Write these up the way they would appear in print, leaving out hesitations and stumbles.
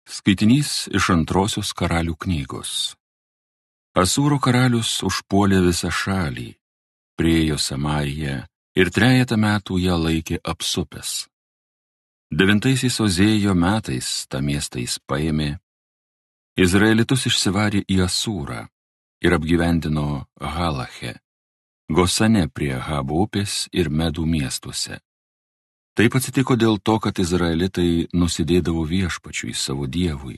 Skaitinys iš Antrosios karalių knygos. Asūro karalius užpuolė visą šalį, priėjo Samariją ir 3 metų ją laikė apsupęs. 9 Ozėjo metais tą miestą jis paėmė, Izraelitus išsivarė į Asūrą ir apgyvendino Halache, Gosane prie Habo upės ir Medų miestuose. Taip atsitiko dėl to, kad izraelitai nusidėdavo viešpačiui savo dievui,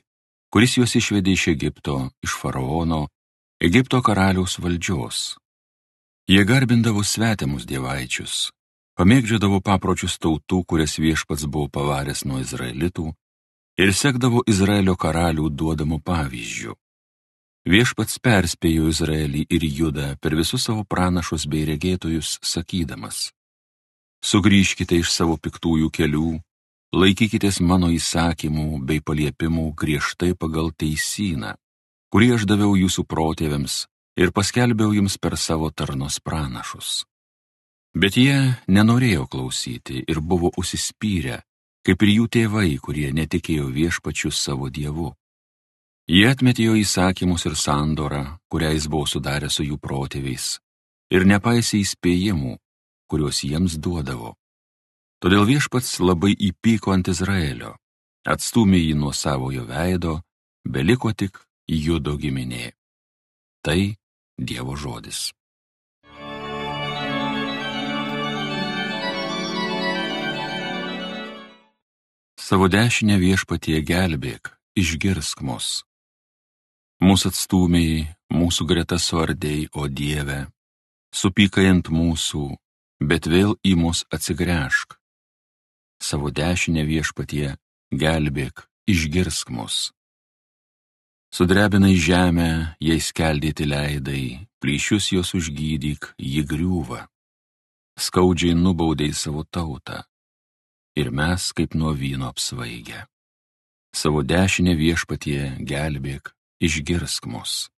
kuris juos išvedė iš Egipto, iš faraono, Egipto karaliaus valdžios. Jie garbindavo svetimus dievaičius, pamėgdžiodavo papročius tautų, kurias viešpats buvo pavaręs nuo izraelitų, ir sekdavo Izraelio karalių duodamų pavyzdžių. Viešpats perspėjo Izraelį ir Judą per visus savo pranašus bei regėtojus, sakydamas: Sugrįžkite iš savo piktųjų kelių, laikykitės mano įsakymų bei paliepimų griežtai pagal teisyną, kurį aš daviau jūsų protėviams ir paskelbiau jums per savo tarnos pranašus. Bet jie nenorėjo klausyti ir buvo užsispyrę, kaip ir jų tėvai, kurie netikėjo viešpačiu savo dievu. Jie atmetė jo įsakymus ir sandorą, kurią jis buvo sudaręs su jų protėviais, ir nepaisė įspėjimų, kuriuos jiems duodavo. Todėl viešpats labai įpyko ant Izraelio, atstūmė jį nuo savojo veido, beliko tik Judo giminė. Tai Dievo žodis. Savo dešinę viešpatie gelbėk, išgirsk mus. Mūsų atstūmėjai, mūsų greta suardėjai, o Dieve, supykai ant mūsų, bet vėl į mus atsigręžk. Savo dešinę viešpatie gelbėk, išgirsk mus. Sudrebinai žemę, jai skeldėti leidai, plyšius jos užgydyk, ji griūva. Skaudžiai nubaudei savo tautą, ir mes kaip nuo vyno apsvaigę. Savo dešinę viešpatie gelbėk, išgirsk mus.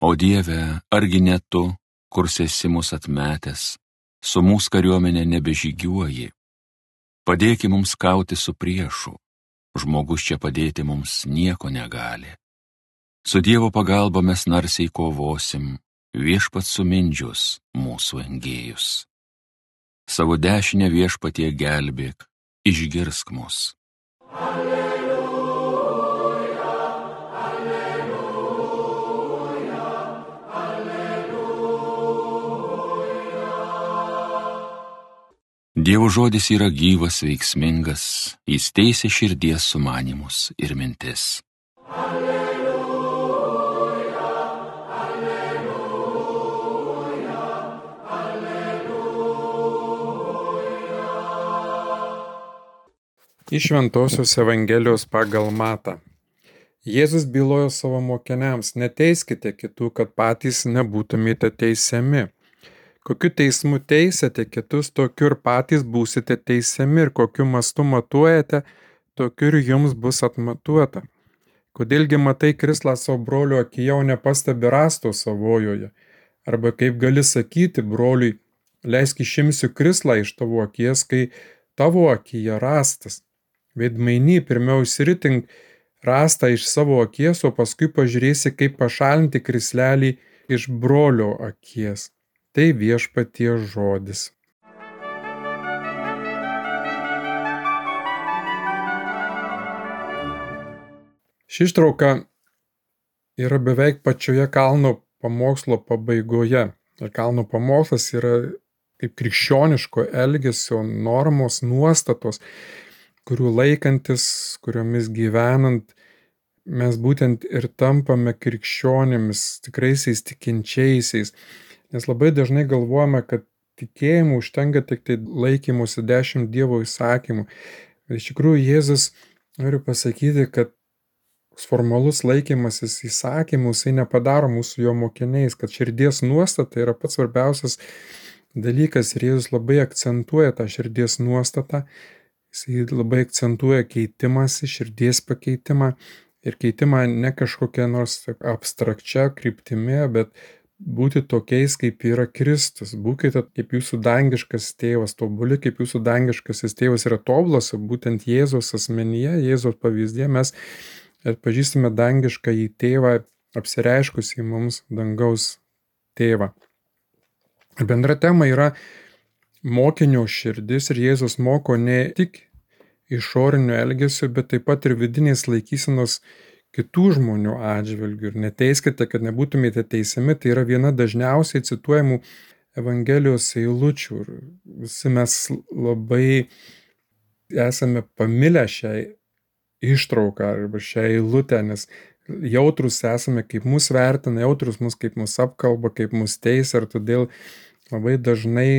O Dieve, argi ne tu, kur esi mus atmetęs, su mūsų kariuomenė nebežygiuoji. Padėki mums kauti su priešu, žmogus čia padėti mums nieko negali. Su Dievo pagalba mes narsiai kovosim, viešpats sumindžius mūsų engėjus. Savo dešinę viešpatie gelbėk, išgirsk mus. Dievo žodis yra gyvas, veiksmingas, jis teisia širdies sumanymus ir mintis. Alleluja, alleluja, alleluja. Iš Šventosios Evangelijos pagal Matą. Jėzus bylojo savo mokiniams: neteiskite kitų, kad patys nebūtumėte teisiami. Kokiu teismu teisėte kitus, tokiu ir patys būsite teisiami, ir kokiu mastu matuojate, tokiu ir jums bus atmatuota. Kodėlgi matai krislą savo brolio akyje, o nepastebi rąsto savojoje? Arba kaip gali sakyti broliui: leisk išimsiu krislą iš tavo akies, kai tavo akyje rąstas? Veidmainy, pirmiau išsiritink rąstą iš savo akies, o paskui pažiūrėsi, kaip pašalinti krislelį iš brolio akies. Tai viešpatie žodis. Ši ištrauka yra beveik pačioje kalno pamokslo pabaigoje. Ir kalno pamokslas yra kaip krikščioniško elgesio normos, nuostatos, kurių laikantis, kuriomis gyvenant, mes būtent ir tampame krikščionimis, tikraisiais tikinčiaisiais. Nes labai dažnai galvojame, kad tikėjimu užtenka tik tai laikymusi 10 Dievo įsakymų. Bet iš tikrųjų Jėzus nori pasakyti, kad formalus laikymasis įsakymų jisai nepadaro mūsų jo mokiniais, kad širdies nuostata yra pats svarbiausias dalykas ir Jėzus labai akcentuoja tą širdies nuostatą. Jisai labai akcentuoja keitimąsi, širdies pakeitimą ir keitimą ne kažkokia nors abstrakčia kryptimi, bet būti tokiais, kaip yra Kristus. Būkite kaip jūsų dangiškas tėvas, tobuli, kaip jūsų dangiškasis tėvas yra tobulas, būtent Jėzaus asmenyje, Jėzaus pavyzdėje mes atpažįstame dangišką į tėvą, apsireiškusį mums dangaus tėvą. Bendra tema yra mokinio širdis ir Jėzus moko ne tik išorinių elgesių, bet taip pat ir vidinės laikysenos kitų žmonių atžvilgių. Ir neteiskite, kad nebūtumėte teisiami, tai yra viena dažniausiai cituojamų Evangelijos eilučių. Ir visi mes labai esame pamilę šią ištrauką arba šią eilutę, nes jautrus esame, kaip mus vertina, jautrus mus, kaip mus apkalba, kaip mus teisia, ir todėl labai dažnai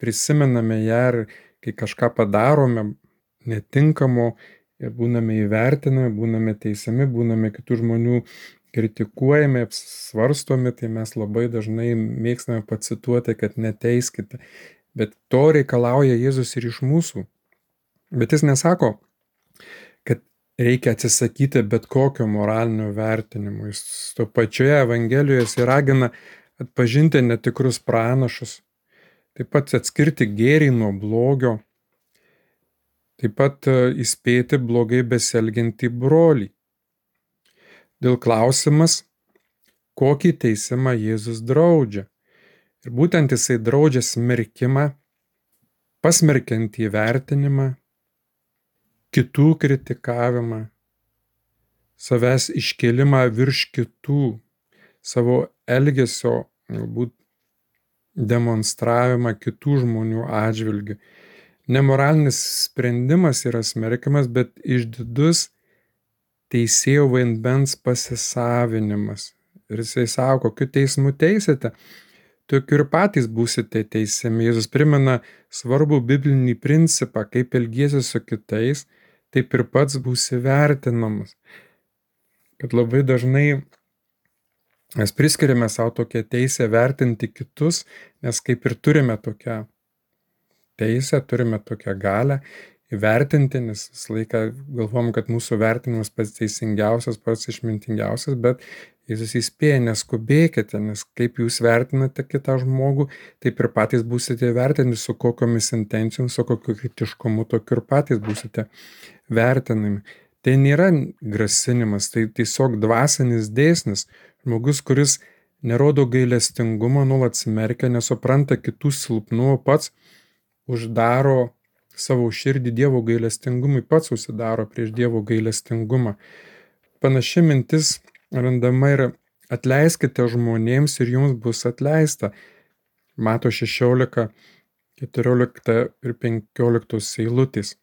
prisimename ją ir kai kažką padarome netinkamo ir būname įvertinami, būname teisiami, būname kitų žmonių kritikuojami, apsvarstomi, tai mes labai dažnai mėgstame pacituoti, kad neteiskite. Bet to reikalauja Jėzus ir iš mūsų. Bet jis nesako, kad reikia atsisakyti bet kokio moralinio vertinimo. Jis to pačioje Evangelijoje jis ragina atpažinti netikrus pranašus, taip pat atskirti gėrį nuo blogio, taip pat įspėti blogai besielgiantį brolį. Dėl klausimas, kokį teisimą Jėzus draudžia. Ir būtent jisai draudžia smerkimą, pasmerkiantį vertinimą, kitų kritikavimą, savęs iškelimą virš kitų, savo elgesio galbūt demonstravimą kitų žmonių atžvilgių. Nemoralinis sprendimas yra smerkiamas, bet išdidus teisėjo vaidmens pasisavinimas. Ir jisai sako, kokiu teismu teisite, tokiu ir patys būsite teisiami. Jėzus primena svarbų biblinį principą, kaip elgiesi su kitais, taip ir pats būsi vertinamas. Kad labai dažnai mes priskiriame savo tokią teisę vertinti kitus, nes kaip ir turime tokią teisę, turime tokią galią įvertinti, nes visą laiką galvom, kad mūsų vertinimas pats teisingiausias, pats išmintingiausias, bet Jėzus įspėja, neskubėkite, nes kaip jūs vertinate kitą žmogų, taip ir patys būsite vertinami, su kokiomis intencijomis, su kokiu kritiškumu, tokiu ir patys būsite vertinami. Tai nėra grasinimas, tai tiesiog dvasinis dėsnis. Žmogus, kuris nerodo gailestingumo, nuolat smerkia, nesupranta kitų silpnumo, pats uždaro savo širdį Dievo gailestingumui, pats užsidaro prieš Dievo gailestingumą. Panaši mintis randama ir atleiskite žmonėms ir jums bus atleista. Mato 16, 14 ir 15 eilutės.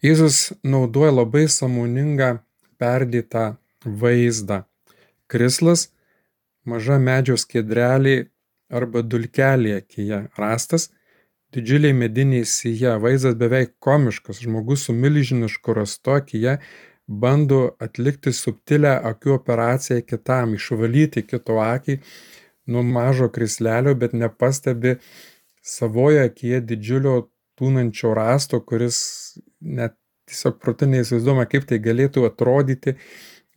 Jėzus naudoja labai sąmoningą perdėtą vaizdą. Krislas, maža medžio skiedrelė arba dulkelė akyje, rastas didžiuliai mediniai sija, vaizdas beveik komiškas, žmogus su milžinišku rastu akyje bando atlikti subtilę akių operaciją kitam, išvalyti kito akį nuo mažo krislelio, bet nepastebi savoje akyje didžiulio tūnančio rasto, kuris net tiesiog protu neįsivaizduojama, kaip tai galėtų atrodyti,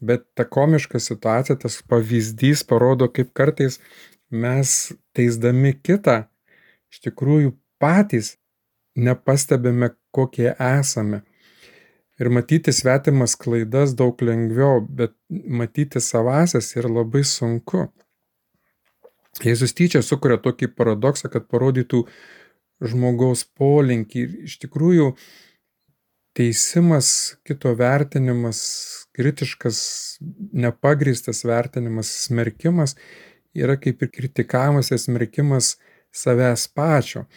bet ta komiška situacija, tas pavyzdys parodo, kaip kartais mes teisdami kitą, iš tikrųjų patys nepastebime, kokie esame. Ir matyti svetimas klaidas daug lengviau, bet matyti savasias yra labai sunku. Jėzus tyčia sukuria tokį paradoksą, kad parodytų žmogaus polinkį. Ir iš tikrųjų teisimas, kito vertinimas, kritiškas, nepagrįstas vertinimas, smerkimas yra kaip ir kritikavimas ir smerkimas savęs pačio.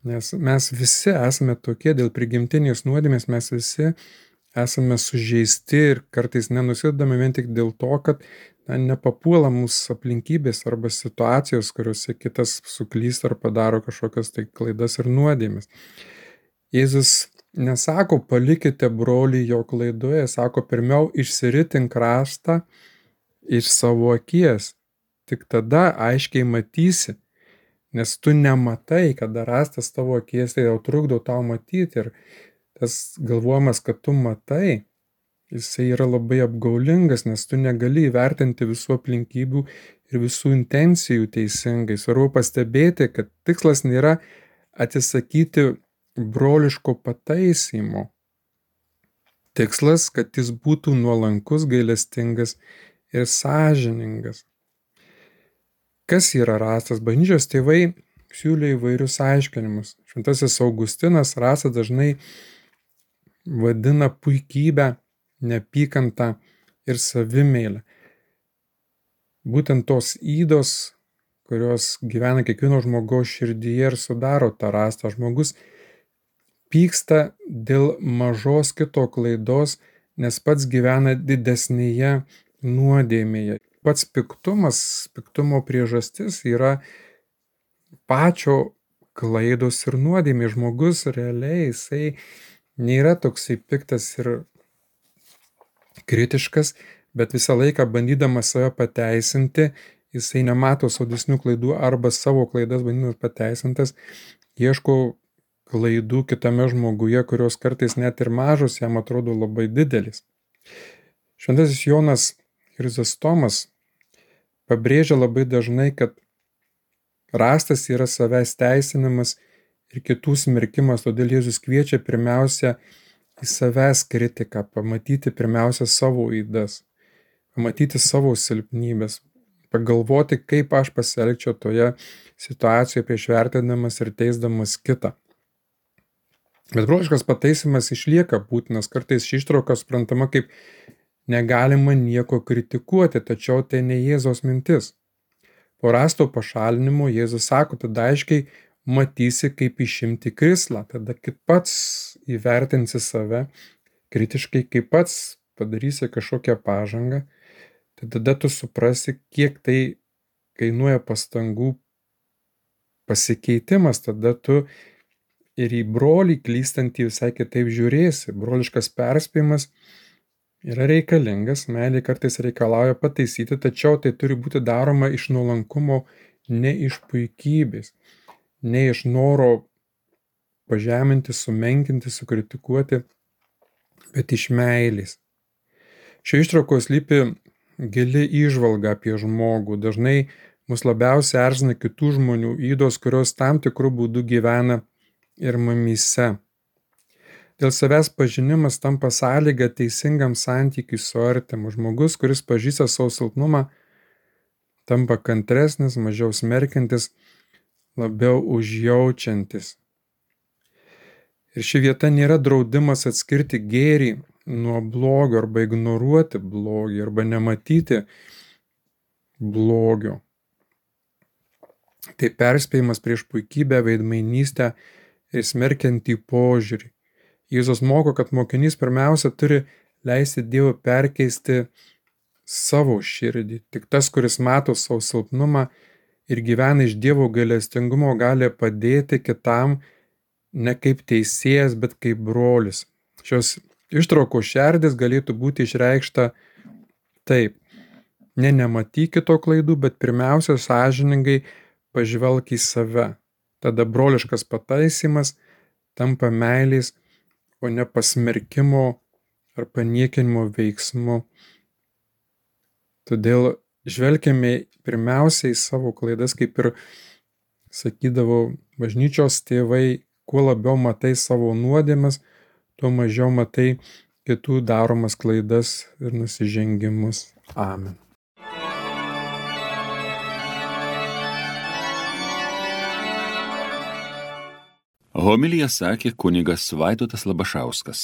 Nes mes visi esame tokie, dėl prigimtinės nuodėmės mes visi esame sužeisti ir kartais nenusidame vien tik dėl to, kad nepapuola mūsų aplinkybės arba situacijos, kuriuose kitas suklysta ar padaro kažkokias tai klaidas ir nuodėmes. Jėzus nesako, palikite brolį jo klaidoje, sako, pirmiau išsiritink rastą iš savo akies. Tik tada aiškiai matysi, nes tu nematai, kada rastas tavo akies, tai jau trukdo tau matyti. Ir tas galvojimas, kad tu matai, jisai yra labai apgaulingas, nes tu negali įvertinti visų aplinkybių ir visų intencijų teisingai. Svarbu pastebėti, kad tikslas nėra atsisakyti broliško pataisymo. Tikslas, kad jis būtų nuolankus, gailestingas ir sąžiningas. Kas yra rastas? Bažnyčios tėvai siūlė įvairius aiškinimus. Šventasis Augustinas rasą dažnai vadina puikybę, neapykantą ir savimeilę. Būtent tos ydos, kurios gyvena kiekvieno žmogaus širdyje ir sudaro tą rastą. Žmogus pyksta dėl mažos kito klaidos, nes pats gyvena didesnėje nuodėmėje. Pats piktumo priežastis yra pačio klaidos ir nuodėmė. Žmogus realiai jisai nėra toksai piktas ir kritiškas, bet visą laiką bandydamas save pateisinti, jisai nemato saudesnių klaidų arba savo klaidas bandydamas pateisintas, ieško klaidų kitame žmoguje, kurios kartais net ir mažos jam atrodo labai didelis. Šventasis Jonas Chrizostomas pabrėžia labai dažnai, kad rastas yra savęs teisinimas ir kitų smerkimas, todėl Jėzus kviečia pirmiausia į savęs kritiką, pamatyti pirmiausia savo ydas, pamatyti savo silpnybės, pagalvoti, kaip aš pasielgčiau toje situacijoje prieš vertinamas ir teisdamas kitą. Bet broliškas pataisymas išlieka būtinas, kartais ši ištrauka suprantama kaip negalima nieko kritikuoti, tačiau tai ne Jėzaus mintis. Po rasto pašalinimo Jėzus sako, tada aiškiai matysi, kaip išimti krislą, tada kaip pats įvertinsi save kritiškai, kaip pats padarysi kažkokią pažangą, tai tada tu suprasi, kiek tai kainuoja pastangų pasikeitimas, tada tu ir į brolį klystantį visai kitaip žiūrėsi. Broliškas perspėjimas yra reikalingas, meilė kartais reikalauja pataisyti, tačiau tai turi būti daroma iš nuolankumo, ne iš puikybės, ne iš noro pažeminti, sumenkinti, sukritikuoti, bet iš meilės. Šioje ištraukoje slypi gili įžvalga apie žmogų. Dažnai mus labiausiai erzina kitų žmonių ydos, kurios tam tikrų būdų gyvena ir mumyse. Dėl savęs pažinimas tampa sąlyga teisingam santykiui su artimu. Žmogus, kuris pažįsta savo silpnumą, tampa kantresnis, mažiau smerkiantis, labiau užjaučiantis. Ir ši vieta nėra draudimas atskirti gėrį nuo blogio arba ignoruoti blogį arba nematyti blogio. Tai perspėjimas prieš puikybę, veidmainystę ir smerkiantį požiūrį. Jėzus moko, kad mokinys pirmiausia turi leisti Dievui perkeisti savo širdį. Tik tas, kuris mato savo silpnumą ir gyvena iš Dievo gailestingumo, gali padėti kitam ne kaip teisėjas, bet kaip brolis. Šios ištraukos šerdis galėtų būti išreikšta taip. Nematyk kito klaidų, bet pirmiausia sąžiningai pažvelk į save. Tada broliškas pataisymas tampa meilės, o ne pasmerkimo ar paniekinimo veiksmu. Todėl žvelgiame pirmiausiai į savo klaidas, kaip ir sakydavo bažnyčios tėvai, kuo labiau matai savo nuodėmes, tuo mažiau matai kitų daromas klaidas ir nusižengimus. Amen. Homiliją sakė kunigas Vaidotas Labašauskas.